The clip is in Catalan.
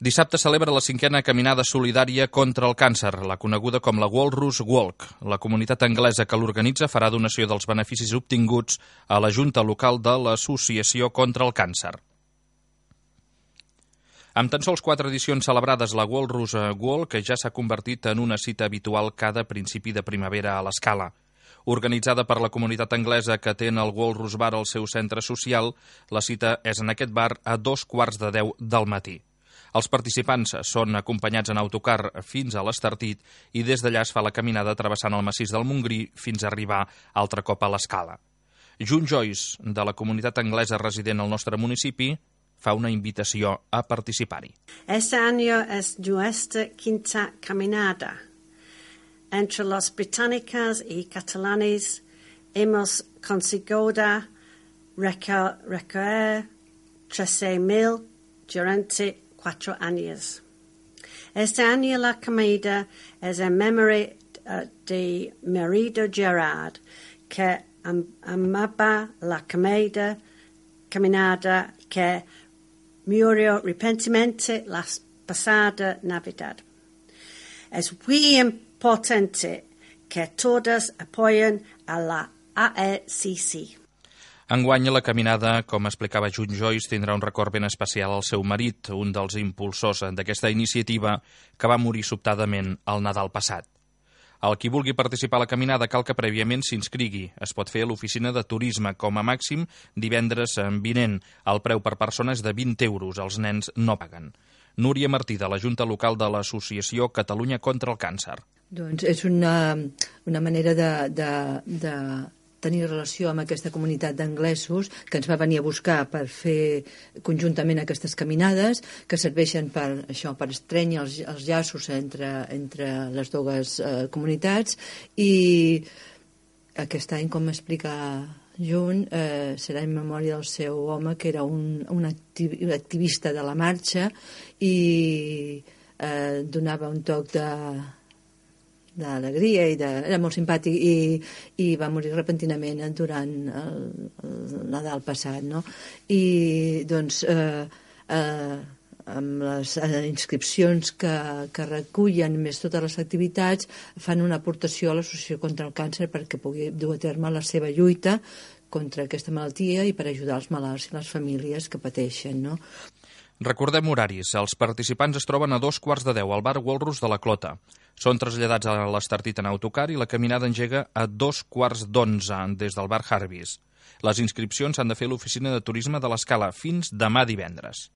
Dissabte celebra la 5a caminada solidària contra el càncer, la coneguda com la Walrus Walk. La comunitat anglesa que l'organitza farà donació dels beneficis obtinguts a la Junta Local de l'Associació contra el Càncer. Amb tan sols 4 edicions celebrades, la Walrus Walk ja s'ha convertit en una cita habitual cada principi de primavera a l'Escala. Organitzada per la comunitat anglesa que té en el Walrus Bar el seu centre social, la cita és en aquest bar a 9:45 del matí. Els participants són acompanyats en autocar fins a l'Estartit i des d'allà es fa la caminada travessant el massís del Montgrí fins a arribar altre cop a l'Escala. June Joyce, de la comunitat anglesa resident al nostre municipi, fa una invitació a participar-hi. Este año es nuestra 5ª caminada. Entre los británicos y catalanes hemos conseguido recoger 13,000 durante 4 años. Este año la caminada es en memoria de marido Gerard, que amaba la caminada que murió repentinamente la pasada Navidad. Es muy importante que todos apoyen a la AECC. Enguany, la caminada, com explicava June Joyce, tindrà un record ben especial al seu marit, un dels impulsors d'aquesta iniciativa, que va morir sobtadament el Nadal passat. El qui vulgui participar a la caminada cal que prèviament s'inscrigui. Es pot fer a l'oficina de turisme, com a màxim divendres vinent. El preu per persona és de 20 euros. Els nens no paguen. Núria Martí, de la Junta Local de l'Associació Catalunya contra el Càncer. Doncs és una manera de tenir relació amb aquesta comunitat d'anglesos que ens va venir a buscar per fer conjuntament aquestes caminades que serveixen per estrènyer els llaços entre les dues comunitats, i aquest any, com explica June, serà en memòria del seu home, que era un activista de la marxa i donava un toc d'alegria i era molt simpàtic i va morir repentinament durant el Nadal passat, no? I doncs amb les inscripcions que recullen més totes les activitats fan una aportació a l'Associació contra el Càncer perquè pugui dur a terme la seva lluita contra aquesta malaltia i per ajudar els malalts i les famílies que pateixen, no? Recordem horaris. Els participants es troben a 9:15 al bar Walrus de la Clota. Són traslladats a l'Estartit en autocar i la caminada engega a 9:15 des del bar Harvis. Les inscripcions s'han de fer a l'oficina de turisme de l'Escala fins demà divendres.